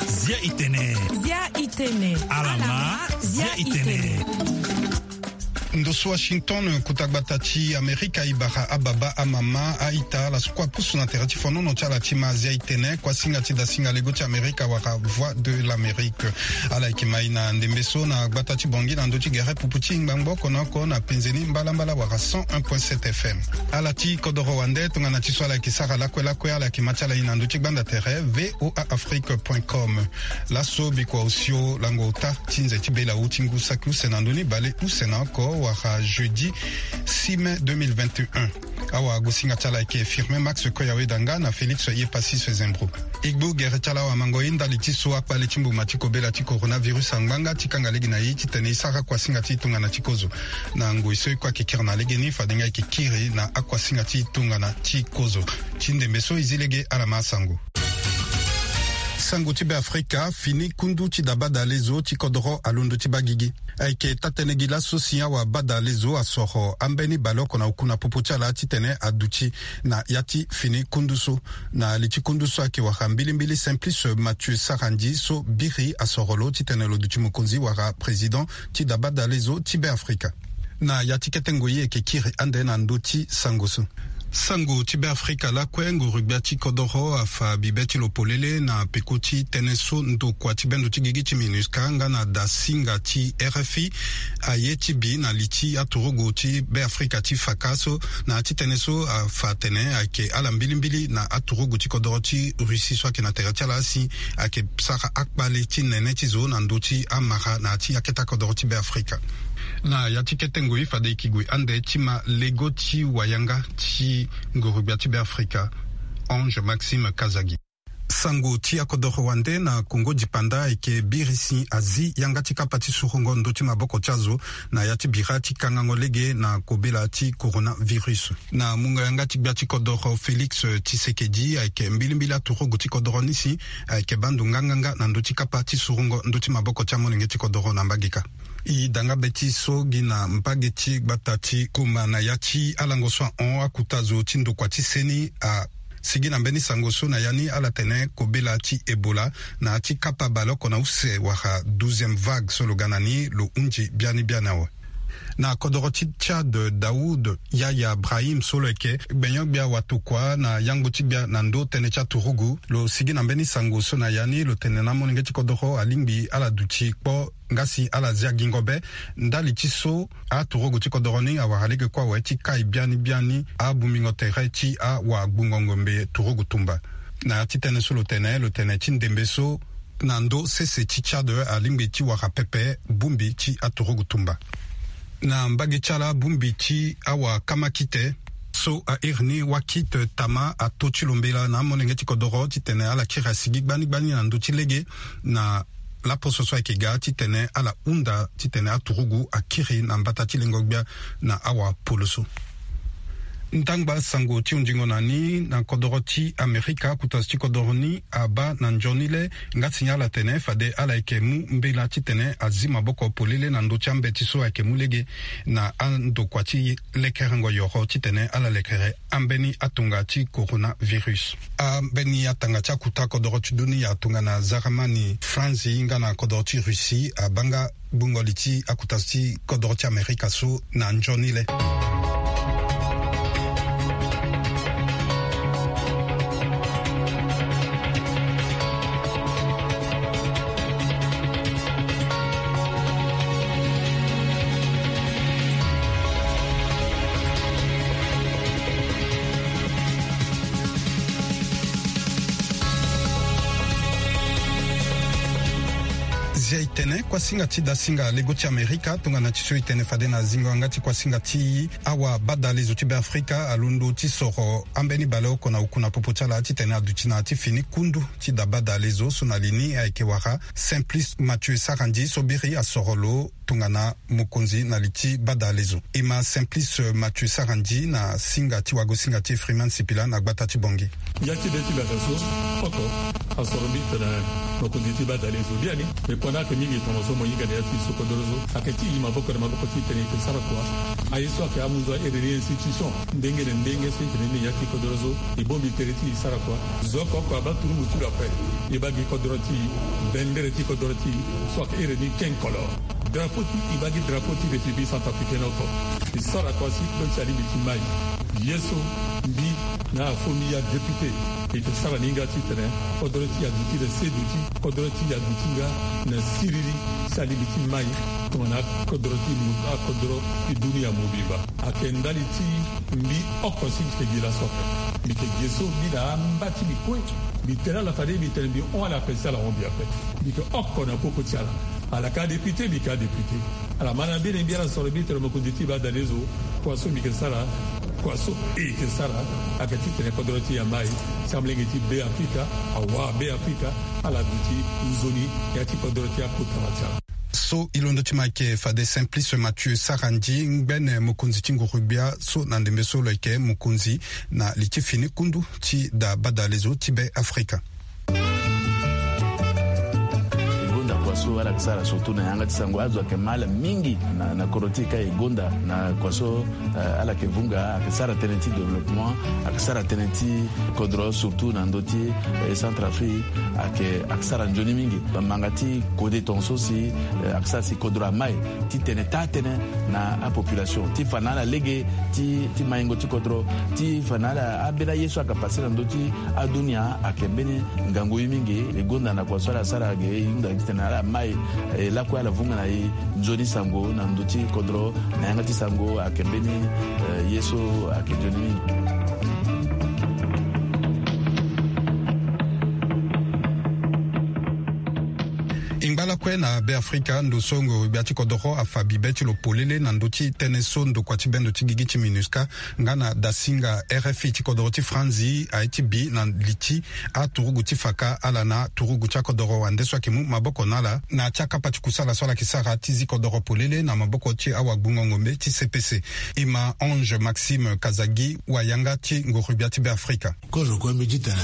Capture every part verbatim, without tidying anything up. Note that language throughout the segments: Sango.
Zia itene. Zia itene. Alama. Zia itene. Ndo so Washington, kota gbata ti Amerika, e bara ababa, amama, a-ita, ala so kue apusu na tere ti fonono ti ala ti ma Zia itene, kuasinga ti dasinga lego ti Amerika wala Voix de l'Amérique. Ala yeke ma e na ndembe so na gbata ti Bangui na ndö ti gere pupu ti ngbangbo oko na oko na penze ni mbalambala wala cent un point sept F M. Ala ti kodoro wande tongana ti so ala yeke sara lakue lakue, ala yeke ma ti ala e na ndö ti gbanda tere V O A Afrique point com. Laso bikua osio lango ota ti nze ti bela awu ti ngu saki use na ndö ni bale use na oko wala jeudi six mai deux mille vingt et un. Awagosinga ti ala ayeke Firmin Max Koyawe Danga na Félix Yepassis Zembro. E gbu gere ti ala awamango e ndali ti so akpale ti mbuma ti kobela ti coronavirus angba nga ti kanga lege na e titene e sara kuasinga ti tongana ti kozo. Na ngoi so e kue ayeke kiri na legeni fade nga e yeke kiri na akuasinga ti tongana ti kozo. Ti ndembe so e zi lege ala ma asango. Sango ti Beafrika, fini kundu ti dabadalezo ti kodoro alondo ti baa gigi. Ayeke taa-tënë gi laso si awabadalezo asoro ambeni baleoko na oku na popo ti ala titene aduti na ya ti fini kundu so. Na li ti kundu so ayeke wara mbilimbili Simplice Mathieu Sarandji so biri asoro lo titene lo duti mokonzi wala président ti dabadalezo ti Beafrika. Na ya ti kete ngoi e yeke kiri ande na ndö ti sango so. Sango ti Beafrika lakue, nguru-gbia ti kodoro afa bibe ti lo polele na peko ti tënë so ndokua ti bendo ti gigi ti MINUSCA nga na dasinga ti R F I aye ti bi na li ti aturugu ti Beafrika ti faka so. Na ya ti tënë so afa atene ayeke ala mbilimbili na aturugu ti kodoro ti Russie so ayeke na tere ti ala si ayeke sara akpale ti nene ti zo na ndö ti amara na ya ti akete akodoro ti Beafrika. Na ya ti kete ngoi fade e yeke gue ande ti ma lego ti wayanga ti nguru-gbia ti Beafrika, Ange Maxime Kazagi. Sango ti akodoro wande na Kongo dipanda ayeke biri si azi yanga ti kapa ti surungo ndö ti maboko ti azo na ya ti bira ti kangango lege na kobela ti coronavirus. Na mungo yanga ti gbia ti kodoro Félix Tshisekedi ayeke mbilimbili aturugu ti kodoro ni si ayeke baa ndo nganganga na ndö ti kapa ti surungo ndö ti maboko ti amolenge ti kodoro na mbage kâ. E da nga be ti so gi na mbage ti gbata ti Goma na ya ti alango so ahon akuta zo ti ndokua ti seni asigi na mbeni sango so na ya ni ala tene kobela ti Ebola na ya ti kapa baleoko na use wala douzième vague so lo ga na ni lo hunzi biani biani awe. Na kodoro ti Tchad, Daoud Yahya Brahim so lo yeke gbenyo-gbia watokua na yangbo ti gbia na ndo tënë ti aturugu lo sigi na mbeni sango so na ya ni lo tene na amolenge ti kodoro alingbi ala duti kpo nga si ala zia gingo be. Ndali ti so aturugu ti kodoro ni awara lege kue awe ti kai biani biani abungbingo tere ti awagbungo ngombe turugu tumba. Na ya ti tënë so lo tene lo tene ti ndembe so na ndö sese ti Tchad alingbi ti wara pepe bongbi ti aturugu tumba. Na mbage ti ala bongbi ti awakamakite so a iri ni Wakit Tama ato ti lo mbela na amolenge ti kodoro titene ala kiri asigi gbani gbani na ndö ti lege na laposo so ayeke ga titene ala hunda titene aturugu akiri na mbata ti lengo-gbia na awapoloso. Ndangba sango ti hunzingo na ni na kodoro ti Amerika, akuta zo ti kodoro ni abaa na nzoni le nga si ala tene fade ala yeke mu mbela titene azi maboko polele na ndö ti ambeti so ayeke mu lege na andokua ti lekerengo yoro titene ala lekere ambeni atonga ti coronavirus. Ambeni atanga ti akuta kodoro ti dunia tongana Zaramani, France nga na kodoro ti Russie abaa nga gbungo li ti akuta zo ti kodoro ti Amerika so na nzoni le. Zia e tene kuasinga ti dasinga lego ti Amerika tongana ti so e tene fade na zingo yanga ti kuasinga ti awabadalezo ti Beafrika alondo ti soro ambeni baleoko na oku na popo ti ala titene aduti na ya ti fini kundu ti dabadalezo so na li ni ayeke wara Simplice Mathieu Sarandji so biri asoro lo tongana mokonzi na li ti badalezo. E ma Simplice Mathieu Sarandji na singa ti wagosinga ti Freeman Sipila na gbata ti Bangui. Ya ti be ti bata so oko asoro mbi tongana mokonzi ti badalezo biani. E kue Ayeke mingi tongana so mo hinga na ya ti so kodoro so. Ayeke ti e maboko na maboko ti tene e yeke sara kua. Aye so ayeke amu nzoni ere ni institution ndenge na ndenge so e tene ni na ya ti kodoro so. E bongbi tere ti e sara kua. Zo oko oko abaa turugu ti lo ape. E baa gi kodoro ti e, bendere ti kodoro ti e so ayeke ere ni quinze couleurs. Drapeau ti e, e baa gi drapeau ti République centrafricaine oko. E sara kua si kue ti alingbi ti mai. Ye so mbi na afo mbi ya député, e yeke sara ni nga titene kodoro ti e aduti na seduti, kodoro ti e aduti nga na siriri, si alingbi ti mai tongana akodoro ti mo, akodoro ti dunia mobimba. Ayeke ndali ti mbi oko si mbi yeke gi laso ape. Mbi yeke gi so mbi na amba ti mbi kue. Mbi tene ala fade mbi tene mbi hon ala ape si ala hon mbi ape. Mbi yeke oko na koko ti ala. Ala yeke adéputé, mbi yeke adéputé. Ala ma na mbeni mbi ala soro mbi tene mokonzi ti e baa dade zo. Kua so mbi yeke sara, kua so e yeke sara, ayeke titene kodoro ti e amai, si amolenge ti Beafrika, awara Beafrika, ala duti nzoni ya ti kodoro ti akota na ti ala. So e londo ti ma ayeke fade Simplice Mathieu Sarandji, ngbene mokonzi ti nguru-gbia so na ndembe so lo yeke mokonzi na li ti fini kundu ti da badale zo ti Beafrika. E gonda kua so ala yeke sara surtout na yanga ti sango. Azo ayeke ma ala mingi na, na kodro ti e ka e gonda na kua so, eh, ala yeke vunga, ayeke sara tënë ti développement, ayeke sara tënë ti kodro surtout na ndö ti, eh, Centrafrique, ayeke, ayeke sara nzoni mingi. Bamanga ti kode tongaso si, eh, ayeke sara si kodro amai ti tene taa tënë na apopulation ti fa na ala lege ti, ti maingo ti kodro, ti fa na ala ambeni aye so ayeke pase na ndö ti adunia ayeke mbeni ngangu ye mingi. E gonda na kua so ala sara ge e hunda titene ala mai, e lakue ala vunga na e nzoni sango na ndö ti kodro na yanga ti sango ayeke mbeni, eh, ye so ayeke nzoni mingi. E ngba lakue na Beafrika, ndo so ngoro-gbia ti kodoro afa bibe ti lo polele na ndö ti tënë so ndokua ti bendo ti gigi ti MINUSCA nga na dasinga RFI ti kodoro ti Franzi aye ti bi na li ti aturugu ti faka ala na turugu ti akodoro wande so ayeke mu maboko na ala na ya ti akapa ti kusala so ala yeke sara ti zi kodoro polele na maboko ti awagbungo ngombe ti C P C. E ma Ange Maxime Kazagi, wayanga ti ngoro-gbia ti Beafrika. Kozo kue mbi ti tene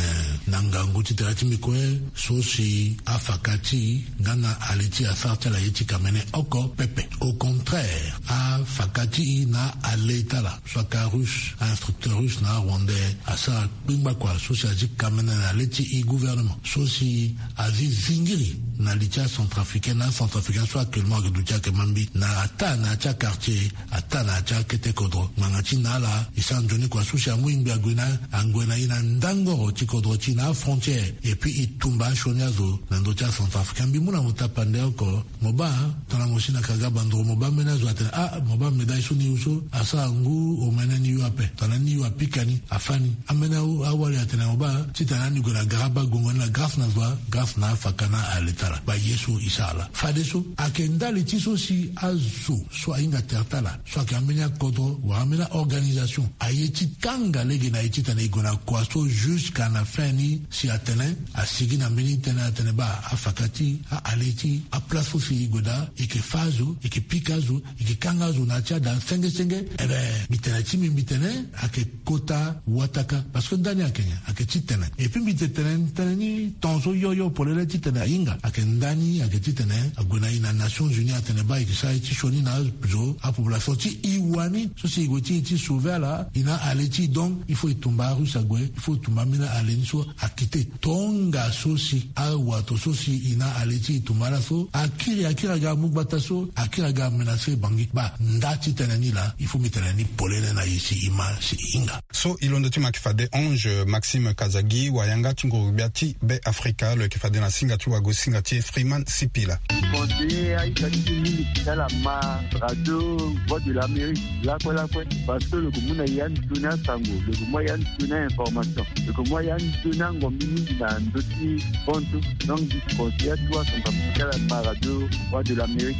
na ngangu ti tere ti mbi kue so si afaka ti e nga na ali ti e asara ti ala ye ti kamene oko pepe. Au contraire, afaka ti e na ale ti ala so aka russe, a-instructeur russe na arwandais asara kpingba kua so si azi kamene na le ti e gouvernement so si azi zingiri na li ti acentrafricain na acentrafricain so actuellement ayeke duti ayeke ma mbi na ataa na ya ti aquartier, ataa na ya ti akete kodro. Ngbanga ti na ala e sara nzoni kua so si amu e ngbi ague na, ague na e na ndangoro ti kodro ti e na afrontière. Et puis e tumba asioni azo na ndö ti acentrafricain. Mbi mu na mo tapande oko. Mo baa tongana mo si na kaga bandoro mo baa mbeni azo atene ah mo baa médaille so ni yu so asara ngu omene ni yu ape. Tongana ni yu apika ni afâ ni. Ambeni awu awali atene mo baa titene ani gue na gara baa gongo ni na grâce na zo wa grâce na afaka na ale ti ala. Baa ye so e sara laa fadeso ayeke ndali ti so si azo so ahinga tere ti ala so ayeke ambeni akodro wala ambeni aorganisation aye ti kanga lege na e titene e gue na kua so jusqu'à na fin ni si atene asigi na mbeni tënë atene baa afaka ti e, aale ti e, aplace so si e gue daa e yeke fâ azo, e yeke pika azo, e yeke kanga azo na ya ti ada senge senge. Ebe mbi tene ti mbi mbi tene ayeke kota wataka parce que ndani ayeke nyen? Ayeke titene. Et puis mbi te tene tënë ni tongaso yo yo polele titene ahinga ayeke ndani ayeke titene ague na e na Nations Unies atene baa e yeke sara ye ti sioni na azo apopulation ti e wani so si e gue ti e ti sauver ala e na ale ti e. Donc il faut e tumba arusse ague, il faut e tumba ambeni ale ni so akite. Tongaso si awato so si e na ale ti e tumba ala so akiri akiri aga amu gbata so akiri aga amenacer Bangui. Baa nda ti tënë ni laa il faut mbi tene ni polele na e si e ma si e hinga. So e londo ti ma ayeke fade Ange Maxime Kazagi, wayanga ti nguru-gbia ti Beafrika, lo yeke fade na singa ti wago singa ti Freeman Sipila. Conseiller aita ti mingi ti ala ma radio Voix de l'Amérique lakue lakue parce que lo yeke mu na e ande sioni asango, lo yeke mu a e ande sioni a-information, lo yeke mu a e ande sioni angombi mingi na ndö ti honto. Donc mbi conseiller atu asango ti ala ma radio Voix de l'Amérique.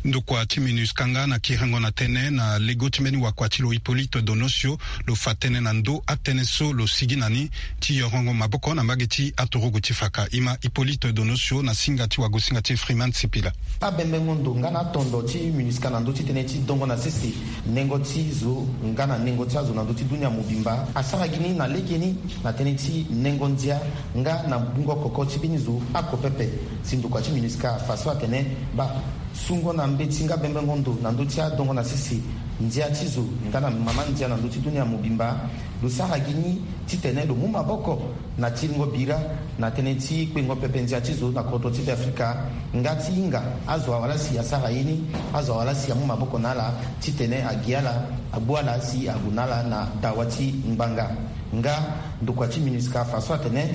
Ndokua ti MINUSCA nga na kiringo na tënë na lego ti mbeni wakua ti lo Hippolyte Donosio, lo fa tënë na ndö atënë so lo sigi na ni ti yorongo maboko na mbage ti aturugu ti faka. Ima Hippolyte Donosio na singa ti wagosinga ti Freeman Sipila. Abembengo ndo nga na atondo ti MINUSCA na ndö ti tënë ti dongo na sese nengo ti zo nga na nengo ti azo na ndö ti dunia mobimba asara gi ni na lege ni na tënë ti nengo ndia nga na bungo koko ti mbeni zo ako pepe. Si ndokua ti MINUSCA afa so atene, ba, sungo na mbeti nga bembengo ndo na ndö ti adongo na sese ndia ti zo nga na mama ndia na ndö ti dunia mobimba, lo sara gi ni titene lo mu maboko na tiringo bira na tënë ti kpengo pepe ndia ti zo na kodro ti Beafrika, nga ti hinga azo awala si asara ye ni, azo awala si amu maboko na ala titene agi ala, agbu ala si ague na ala na dawa ti ngbanga. Nga ndokua ti MINUSCA afa so atene,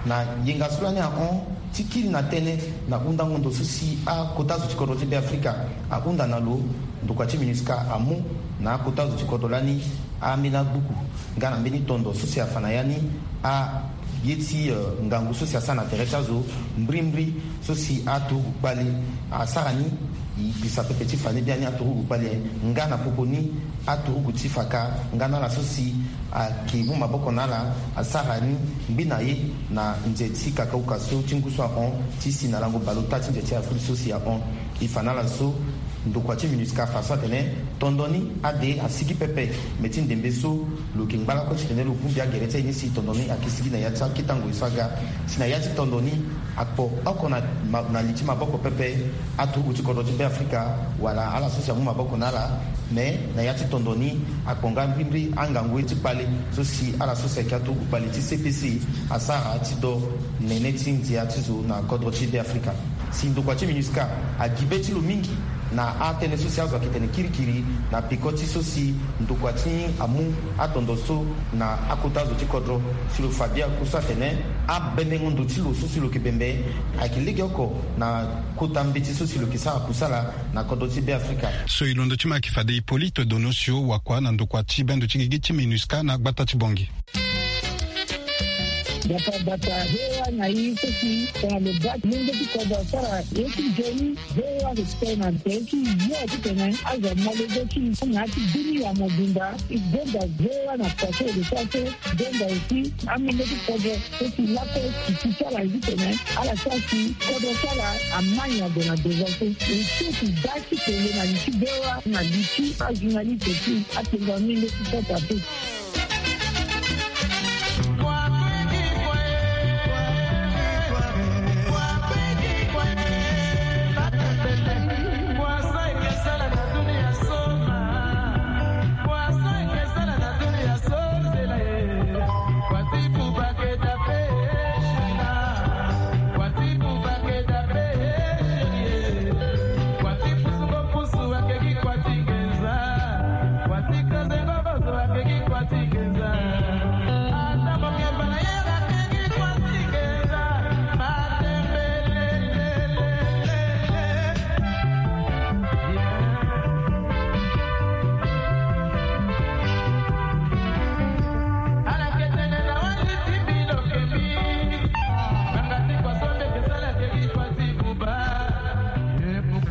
na yenga so lani ahon ti kiri na tënë na hundango ndo so si akota zo ti kodro ti Beafrika ahunda na lo, ndokua ti MINUSCA amu na akota zo ti kodro lani ambeni agbuku nga na mbeni tondo so si afa na ya ni aye ti, eh, ngangu so si asara na tere ti azo mbrimbri so si aturugu kpali asara ni. E gbisa pepe ti fa ni biani aturugu kpali aye nga na popo ni aturugu ti faka nga na ala so si ayeke mu maboko na ala asara ni ngbi na ye na nze ti kakauka so ti ngu so ahon ti si na lango baleota ti nze ti Afrique so si ahon. E fa na ala so ndokua ti MINUSCA afa so atene tondo ni ade asigi pepe. Me ti ndembe so lo yeke ngba lakue titene lo bongbi agere ti aye ni si tondo ni ayeke sigi na ya ti akita ngoi so aga. Si na ya ti tondo ni akpo oko na, ma, na li ti maboko pepe aturugu ti kodro ti Beafrika wala ala so si amu maboko na ala. Me na ya ti tondo ni akpo nga mbrimbri angangu ye ti kpale so si ala so si ayeke aturugu kpale ti C P C asara ti do nene ti ndia ti zo na kodro ti Beafrika. Si ndokua ti MINUSCA agi be ti lo mingi na atënë so si azo ayeke tene kirikiri na peko ti so si ndokua ti amu atondo so na akota zo ti kodro. Si lo fa bia ku so atene abendengo ndo ti lo so si lo yeke bembe ayeke legeoko na kota mbeti so si lo yeke sara kusala na kodro ti Beafrika. So e londo ti ma ayeke fade Hippolyte Donosio wakua na ndokua ti bendo ti gigi ti MINUSCA na gbata ti Bangui. Bata bata, V O A na i so si tongana lo baa ti mungo ti kodro asara ye ti nzoni. V O A respect na nze ti yo titene azo amolenge ti i na ya ti dunia mobimba. I gonda V O A na kua so e lo sara so. Gonda aussi amungo ti kodro so si lakue e si ti ala titene ala sara si kodro ti ala amai na gue na devant so. E so si baa ti tene na li ti V O A na li ti ajournaliste ti atengo amingo ti Centre Afrique.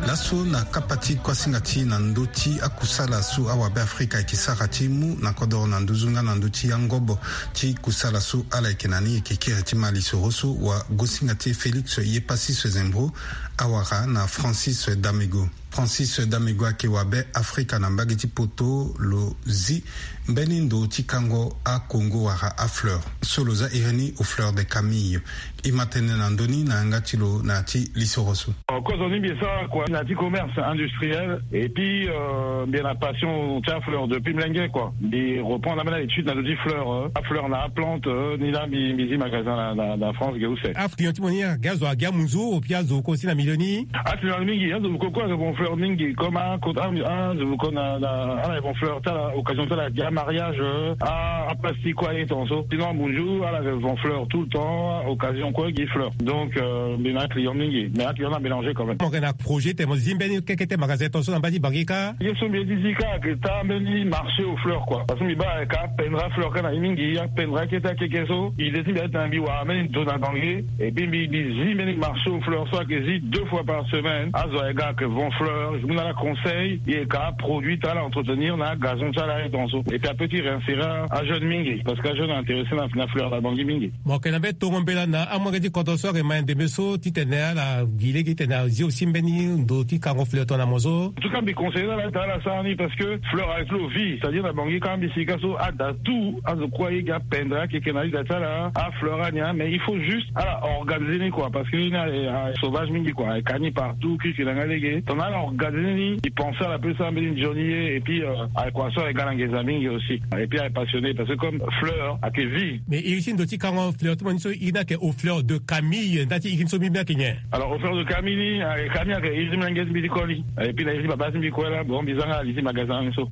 Laso na kapa ti kuasinga ti na ndö ti akusala so awabe Afrika ayeke sara ti mu na kodoro na nduzu nga na ndö ti angobo ti kusala so ala yeke na ni, e yeke kiri ti ma lisoro so wagosinga ti e Félix Yepassis Zembro awara na Francis Damego. Francis Damego ayeke wabe Afrika na mbage ti poto. Lo zi mbeni ndo ti kango akongo wala afleur so lo za iri ni au fleur de Camille. E ma tene na ndö ni na yanga ti lo na ya ti lisoro so. Kozo ni mbi e sara kua na ya ti commerce industriel et puis, euh, mbi na passion ti afleur depuis mlenge kua. Mbi reprendre ambeni na étude na ndö ti fleur, euh, afleur na aplante, euh, ni laa mbi, mbi zi magasin na, na, na France ge use. Aclient ti mo ni aga azo agi amunzu, au pire azo ko si na milieu ni. Aclient mingi, azo koko ayeke von fleur mingi comme a, a, azo koko na, na, ala yeke von fleur ti ala occasion ti ala gi amariage, euh, a, aplastique kue aye tongaso. Sinon amunzu ala yeke von fleur tout le temps, occasion kue gi fleur. Donc, euh, mbi na aclient mingi, mais aclient na mélanger quand même. Mo yeke na projet ti mo zi mbeni keke ti magasin tongaso na mbage ti Bangui kâ. Ye so mbi ye ti zi kâ ayeke taa mbeni marché aux fleurs quoi. Parce que mbi baa ayeke apendre afleur kâ na ye mingi, apendre akete akeke so. Idée ti mbi ayeke titene mbi wara mbeni ndo na Bangui. Et puis mbi, mbi zi mbeni marché aux fleurs so ayeke zi deux fois par semaine. Azo ayeke ga ayeke von fleur. Mu na ala conseil, e ka produit ti ala entretenir na agazon ti ala aye tongaso. Et puis ape ti réinsérer ajeune mingi, parce que ajeune intéressé na, na fleur na bangi mingi. Mo yeke na mbeni tongo mbela na amolenge ti kodro so ayeke ma ndembe so titene ala gi lege titene azi aussi mbeni ndo ti kango fleur tongana mo so. En tout cas mbi conseiller ala ti ala sara ni, parce que fleur ayeke lo vie, c'est-à-dire na bangi ka mbi sika so ada tout azo kue aye gi apendre akeke na liga ti ala afleur ani, mais il faut juste ala organiser ni quoi, parce que ni a, a sauvage mingi quoi, ayeke ka ni partout, kiki na nga lege tongana ala organiser ni, e pense ala pe so ambeni nzoni ye. Et puis euh, ayeke kua so ayeke ga na nginza mingi aussi, et puis ayeke passionné parce que comme fleur ayeke vie. Mais iri ti ndo ti kango fleur ti mo ni so iri ni ayeke au fleur de Camille, nda ti iri ni so mbi mbi ayeke nyen? Alors au fleur de Camille ni, ayeke Camille ayeke iri ti mlenge ti mbi ti koli, et puis na iri ti baba ti mbi kue la, bon mbi za nga ali ti magasin ni so.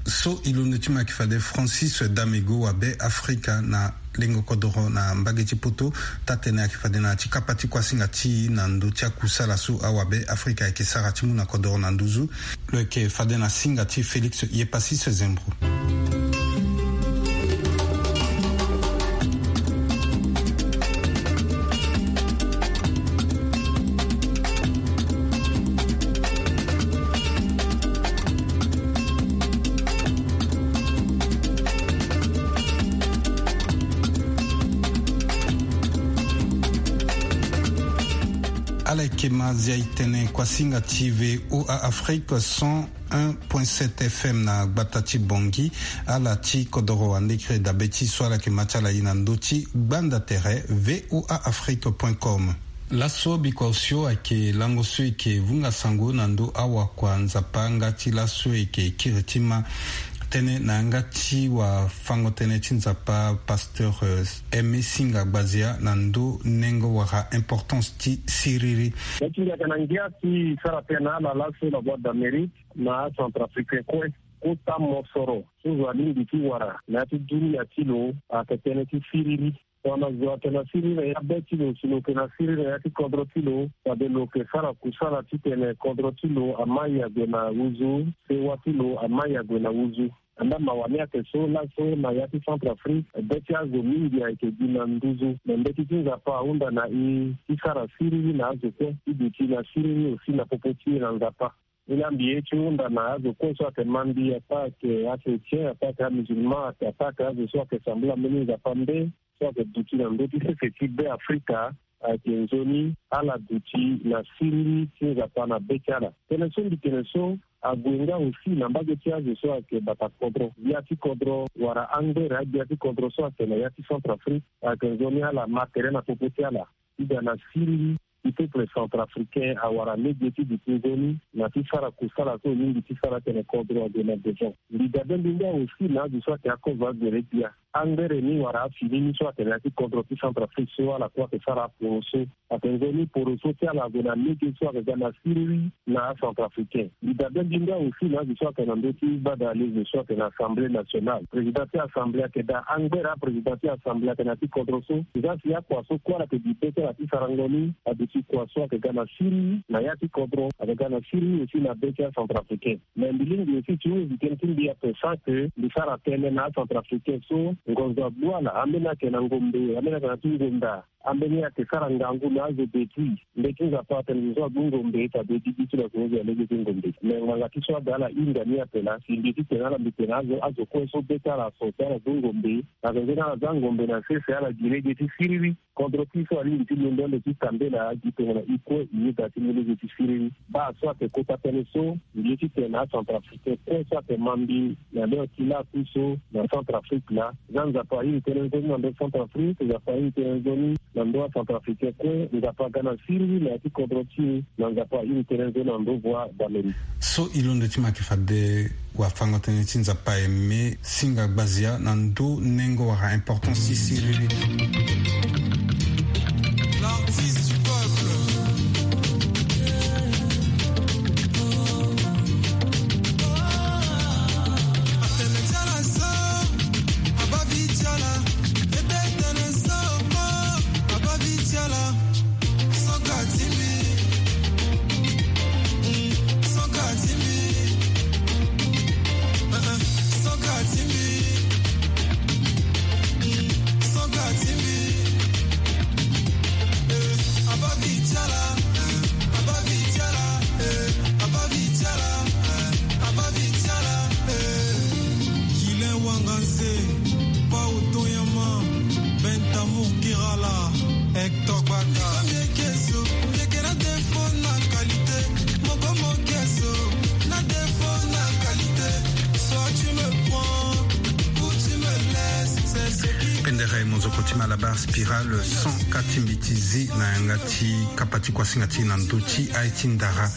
So e londo ti ma yeke fade Francis Damego wabe Afrika na lengo kodoro na mbage ti poto. Taa-tënë ayeke fade na ya ti kapa ti kuasinga ti e na ndö ti akusala so awabe Afrika ayeke sara ti mu na kodoro na nduzu. Lo yeke fade na singa ti Félix Yepasis Zembro. Ala yeke ma zia e tene kuasinga ti V O A Afrique cent un point sept F M na gbata ti Bangui. Ala ti kodoro ande kiri dabe ti so ala yeke ma ti ala e na ndö ti gbanda tere V O A Afrique point com. Laso bikua osio ayeke lango so e yeke vunga sango na ndö awakua Nzapa nga ti laso e yeke kiri ti ma tënë na yanga ti wafango-tënë ti Nzapa, pasteur, euh, Aimé Singa Gbazia na ndö nengo wala importance ti siriri. Nga ti ngia ayeke na ngia ti sara tënë na ala laso na Voix d'Amérique na acentrafricain kue. Kota mosoro so zo alingbi ti wara na ya ti dunia ti lo ayeke tënë ti siriri. Tongana zo ayeke na siriri na ya be ti lo si lo yeke na siriri na ya ti kodro ti lo, fade lo yeke sara kusala titene kodro ti lo ama ya gue na nduzu, sewa ti lo ama ya gue na nduzu. Andaa mawa ni ayeke so laso na ya ti Centrafrique be ti azo mingi ayeke gi na nduzu. Me mbeti ti Nzapa ahunda na e ti sara siriri na azo kue ti duti na siriri aussi na popo ti e na Nzapa. Ni laa mbi ye ti hunda na azo kue so ayeke ma mbi, ataa ayeke achrétien, ataa ayeke amusulman, ataa ayeke azo so ayeke sambela mbeni Nzapa nde so ayeke duti na ndö ti sese ti Beafrika, ayeke nzoni ala duti na siriri ti Nzapa na be ti ala. Tënë so mbi tene so ague nga aussi na mbage ti azo so ayeke bata kodro, gbia ti kodro wala angbere agbia ti kodro so ayeke na ya ti Centrafrique, ayeke nzoni ala ma tere na popo ti ala ti ga na siriri ti peuple centrafricain awara lege ti duti nzoni na ti sara kusala so e lingbi ti sara tene kodro ague na devant. Mbi dabe mbi nga aussi na azo so ayeke akozo agbere gbia. Angbere ni wala afini ni so atene ya ti kodro ti Centrafrique so ala kue ayeke sara aporoso. Ayeke nzoni poroso ti ala ague na lege so ayeke ga na siriri na acentrafricain. Mbi dabe mbi nga aussi na azo so ayeke na ndö ti gbada alezo so ayeke na Assemblée nationale. Président ti Assemblée ayeke daa angbere aprésident ti Assemblée ayeke na ya ti kodro so. Nzasi akua so kue ala yeke gi be ti ala ti sarango ni aduti kua so ayeke ga na siriri na ya ti kodro, ayeke ga na siriri aussi na be ti acentrafricain. Mais mbi lingbi aussi ti hunda tënë ti mbi ape sans que mbi sara tënë na acentrafricain so ngonzo agbu ala, ambeni ayeke na ngombe, ambeni ayeke na ti ngonda, ambeni ayeke sara ngangu na azo depuis. Mbeti ti Nzapa atene zo so agbu ngombe fade gigi ti lo ayeke hunda lege ti ngombe. Mais ngbanga ti so aga ala hinga ni ape laa si mbi ye titene ala mbi tene azo, azo kue so be ti ala so si ala gbu ngombe, na tongaso ni ala za ngombe na sese ala gi lege ti siriri. Kodro ti so alingbi ti londo ande ti tambela gi tongana e kue e yeda ti mu lege ti siriri. Baa so ayeke kota tënë so, mbi ye titene acentrafricain kue so ayeke ma mbi na leo ti lakui so na Centrafrique laa, za Nzapa airi tënë nzoni na ndö Centrafrique, Nzapa airi tënë nzoni na ndö acentrafricain kue. Nzapa aga na siriri na ya ti kodro ti e, na Nzapa airi tënë nzoni na ndö Voix d'Amérique. So e londo ti ma yeke fade wafango-tënë ti Nzapa Aimé Singa Gbazia na ndö nengo wala importance ti siriri. L'artiste du peuple. Kirala, Hector Baka. Miekeso, mieke na défaut na qualité. Moko mokeso, na défaut na qualité. Soit tu me prends, ou tu me laisses. C'est ce qui Pendere Mozoko ti Malabar Spiral, cent quatre ti mbeti zi na yanga ti kapa ti kuasinga ti na ndö ti aye ti ndara.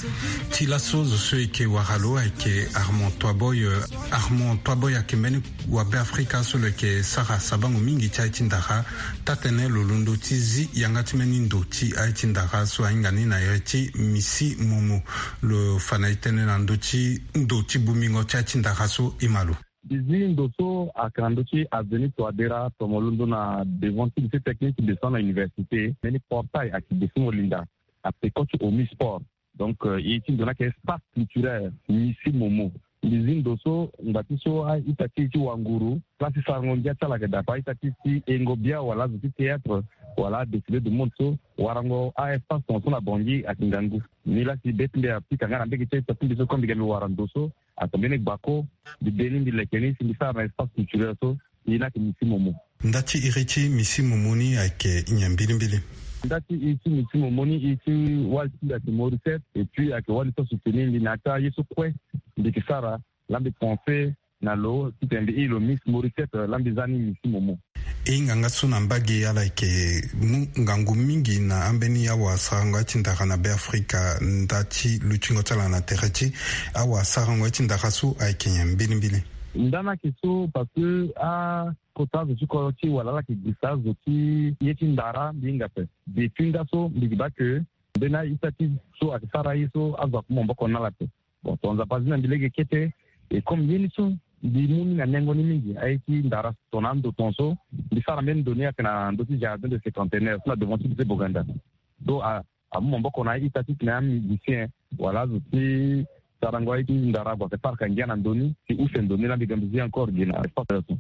Ti laso zo so eke wara lo ayeke Armand Toiboy, euh, Armand Toiboy ayeke mbeni wa Beafrika so lo yeke sara sabango mingi ti aye ti ndara. Taa-tënë lo londo ti zi yanga ti mbeni ndo ti aye ti ndara so ahinga ni na iri ti Misi Momo. Lo fa na e tënë na ndö ti ndo ti bongbingo ti aye ti ndara so e ma lo. Mbi zi ndo so ayeke na ndö ti avenue Touadéra, tomo londo na devant ti lycée technique, descend na université. Mbeni portail ayeke descend mo linda na peko ti Omisport. Donc, euh, e ti ndo ni ayeke espace culturel Misi Momo. Mbi zi ndo so ngba ti so a-ita ti e ti wanguru, place ti sarango ngia ti ala ayeke daa ape, a-ita ti e ti hengo bia wala azo ti théâtre wala adéfilé de mode so warango a-espace tongaso na Bangui ayeke ngangu. Ni la si be ti mbi apika nga na mbege ti a-ita ti mbi so, comme mbi ga mbi wara ndo so, atene mbeni gbako, mbi de ni, mbi leke ni si mbi sara na espace culturel so. E ni ayeke Misi Momo. Nda ti iri ti Misi Momo ni ayeke nyen mbilimbili? Nda ti iri ti Misi Momo ni, iri ti wali ti mbi ayeke Mauricette, et puis ayeke wali so asoutenir mbi na ya ti aye so kue mbi yeke sara. La mbi pense na lo titene mbi iri lo Miss Mauricette, la mbi za ni Misi Momo. E hinga nga so na mbage ala yeke mu ngangu mingi na ambeni awasarango ya ti ndara na Beafrika. Nda ti lutingo ti ala na tere ti awasarango ya ti ndara so ayeke nyen mbilimbili? Nda ni ayeke so parce que akota azo ti kodro ti e wala ala yeke gbisa azo ti ye ti ndara, mbi hinga ape. Depuis nda so mbi yeke baa ke mbeni a-ita ti so ayeke sara aye so azo amu maboko na ala ape. Bon, ton Nzapa azi na mbi lege kete. Et comme ye ni so mbi mu ni na nengo ni mingi, aye ti ndara tongana ando tongaso, mbi sara mbeni ndo ni ayeke na ndö ti jardin de cinquantenaire so na devant ti lycée Boganda. So a, amu maboko na a-ita titene amusicien wala azo ti sarango aye ti ndara ague ayeke parka ngia na ndo ni, si use ndo ni la mbi ga mbi zi encore gi na espace so.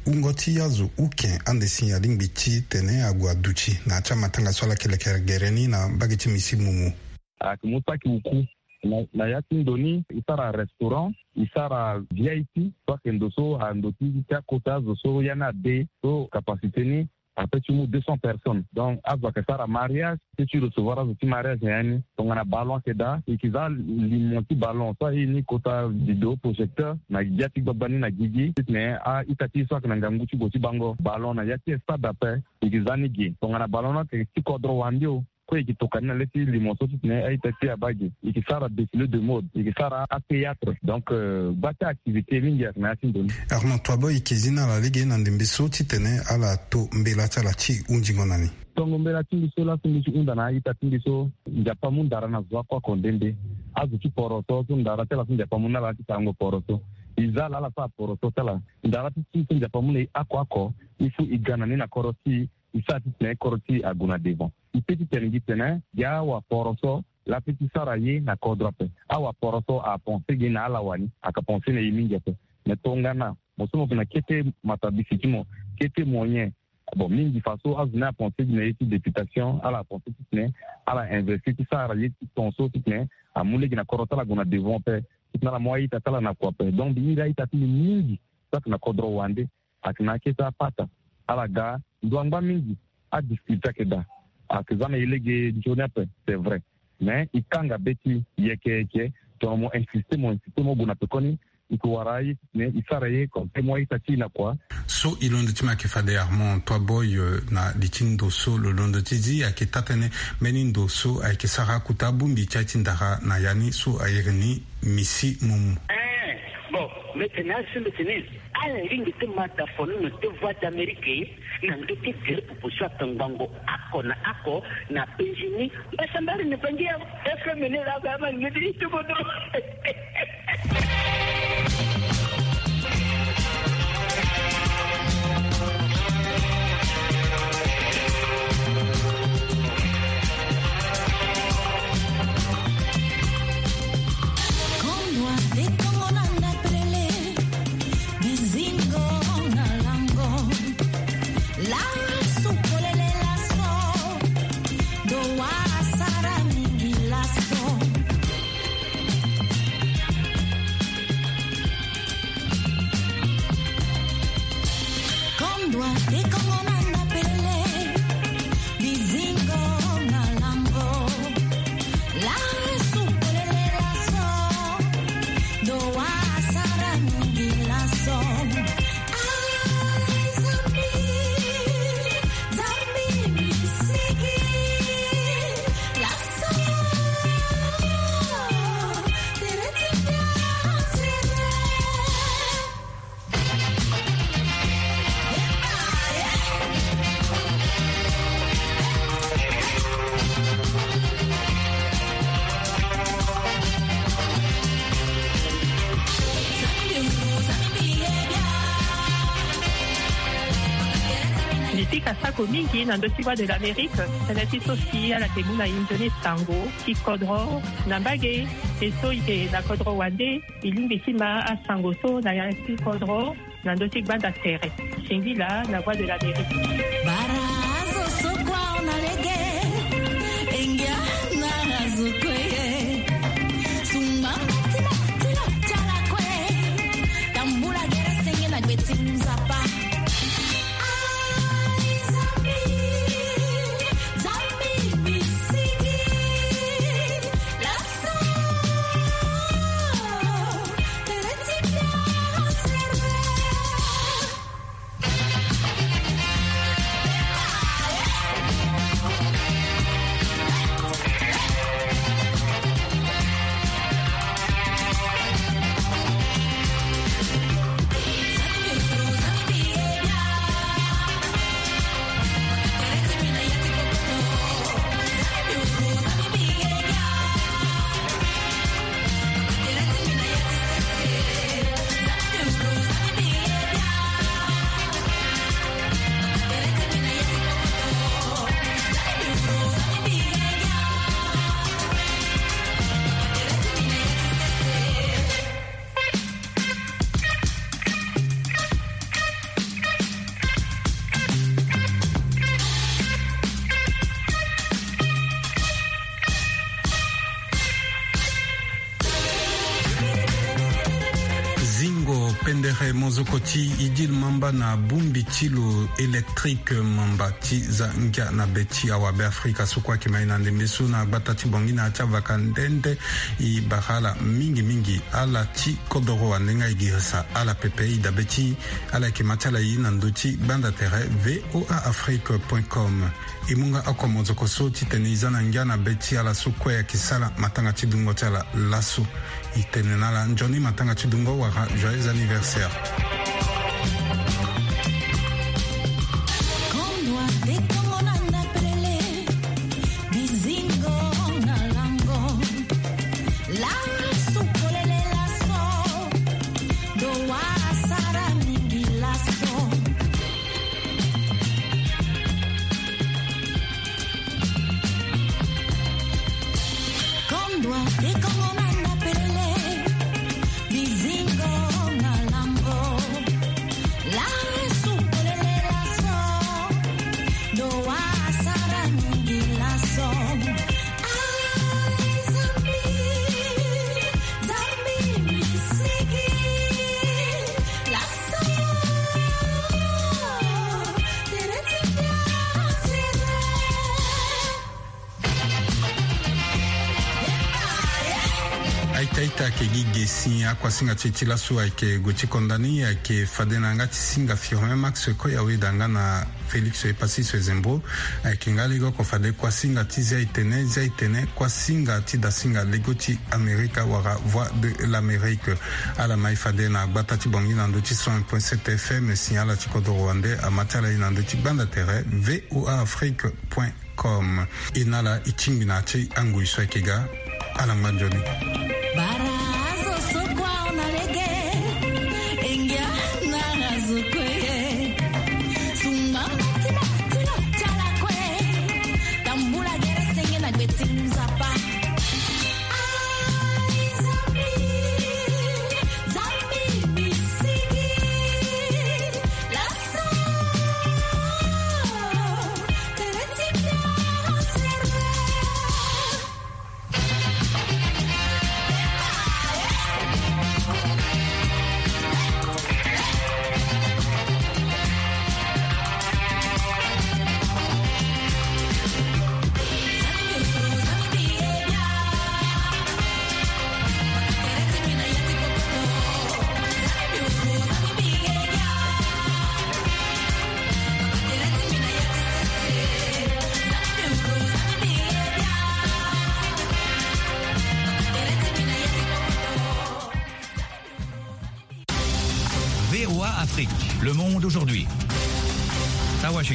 Wungo ti azo uke ande si alingbi titene ague aduti na ya ti amatanga so ala yeke leke gere ni na mbage ti Misi Momo. Ayeke mu saki uku na, na ya ti ndo ni, e sara restaurant, e sara V I P, so ayeke ndo so ando ti, ti akota azo so ya ni ade, so capacité ni ape ti mu deux cents personnes. Donc azo ayeke sara mariage, ti, ti recevoir azo ti mariage na ya ni. Tongana ballon ayeke daa, e yeke za limo ti ballon so aye ni kota vidéo projecteur na ya ti gbagba ni na gigi titene a-ita ti e so ayeke na ngangu ti gue ti bango ballon na ya ti stade ape, e yeke za ni ge. Tongana ballon ni ayeke ti kodro wande o, kue e yeke tokua ni na le ti limo so titene a-ita ti e abaa ge. E yeke sara défilé de mode, e yeke sara athéâtre. Donc, euh, gba ti activité mingi ayeke na ya ti ndo ni. Armand Toiboy, e yeke zi na ala lege na ndembe so titene ala to mbela ti ala ti hunzingo na ni. Tongo mbela ti mbi so laso mbi ti hunda na a-ita ti mbi so, Nzapa amu ndara na zo oko oko nde nde. Azo ti poroso so ndara ti ala so Nzapa amu na ala ti sarango poroso. E za ala ala sara poroso ti ala. Ndara ti ti so Nzapa amu na e oko oko, il faut e ga na ni na kodro ti e, e sara titene kodro ti e ague na devant. E peut ti tene gi tene gi awaporoso la peut ti sara ye na kodro ape. Awaporoso apense gi na ala wani, ayeke pense na e mingi ape. Mais tongana mo so mo yeke na kete matabisi ti mo, kete moyen, bon, mingi faso azo ni apense gi na ye ti députation, ala apense titene ala investir ti sara ye ti tongaso titene amu lege na kodro ti ala ague na devant ape, titene ala mu a-ita ti ala na kua ape. Donc mbi iri a-ita ti mbi mingi so ayeke na kodro wande, ayeke na akete apata. Ala ga ndo angba mingi, adifficulté ayeke daa. Ayeke za na e lege nzoni ape, c'est vrai. Mais e kanga be ti e yeke yeke, tongana mo insiste, mo insiste, mo gue na pekoni, e yeke wara aye titene e sara ye comme ça e mu a-ita ti e na kua. So e londo ti mo ayeke fade Armand Toiboy, euh, na li ti ndo so lo londo ti zi ayeke taa-tënë mbeni ndo so ayeke sara akota bongbi ti aye ti ndara na ya ni so a iri ni Misi Momo. Eh, bon, mbi tene asi, mbi tene ala lingbi ti ma dafono na te Voix d'Amérique na ndö ti gere popo so atongbango oko na oko na penzi ni. Mbasambari na bangi ya F M ni la ba ma ngedi ito bodo. Mbi pika sako mingi na ndö ti Voix de l'Amérique, tënë ti so si ala yeke mu na e nzoni sango ti kodro na mbage. E so e yeke na kodro wande, e lingbi ti ma asango so na ya ti kodro na ndö ti gbanda tere. Singila na Voix de l'Amérique. Bara azo so kua na lege, engia na azo kue. Sumba mati mati lo ti ala kue. Tambula gere senge na gbe ti Nzapa. Ai Nzambi, Nzambi mbi sigi. Zingo pendere mozoko ti Idil Mamba na bongbi ti lo électrique mamba ti za ngia na be ti awa Beafrika so kue ayeke ma e na ndembe so na gbata ti Bangui na ya ti avaka nde nde. E bara ala mingi mingi ala ti kodoro wande nga e girisa ala pepe. E dabe ti ala yeke ma ti ala e na ndö ti gbanda tere V O A Afrique point com. E mu nga oko mozoko so titene e za na ngia na be ti ala so kue ayeke sara matanga ti dungo ti ala laso. E tene na ala nzoni matanga ti dungo wala joyeux anniversaire. Kondwa te kongo na ndapelele, bizingo na lango. Lasu polele laso, do wa sara mingi laso. Kondwa te kongo na ndapelele, bizingo na lango. Lasu polele laso, do wa sara mingi laso. Ai Nzambi, Nzambi mbi sigi. Laso, tere ti ngia tere. Aita aita ayeke gi ge si akuasinga ti e ti laso ayeke gue ti konda ni ayeke fade na yanga ti singa Firmin Max Koyaweda nga na Félix Epassi Soezembo. Ayeke nga lege oko fade kuasinga ti Zia Itene, Zia Itene, kuasinga ti dasinga lego ti Amerika wala Voix de l'Amérique. Ala ma e fade na gbata ti Bangui na ndö ti cent un point sept F M, si ala ti kodoro wande ama ti ala e na ndö ti gbanda tere V O A Afrique point com. E na ala e tingbi na ya ti angoi so ayeke ga. Ala ngba nzoni. Bara azo so kua na lege, engia na azo kue. Sumba mati mati lo ti ala kue. Tambula gere senge na gbe ti Nzapa. Ai Nzambi, Nzambi mbi sigi. Laso, tere ti ngia tere. V O A Afrique, le monde aujourd'hui.